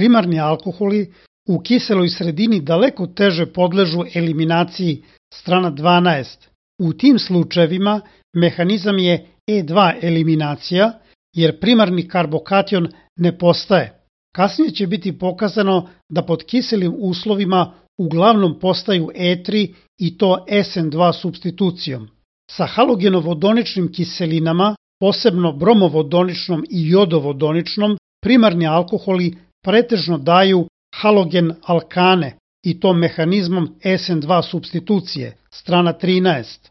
primarni alkoholi u kiseloj sredini daleko teže podležu eliminaciji, strana 12. U tim slučajevima mehanizam je E2 eliminacija, jer primarni karbokation ne postaje. Kasnije će biti pokazano da pod kiselim uslovima uglavnom postaju E3 i to SN2 supstitucijom. Sa halogenovodoničnim kiselinama, posebno bromovodoničnom i jodovodoničnom, primarni alkoholi pretežno daju halogen alkane i to mehanizmom SN2 supstitucije, strana 13.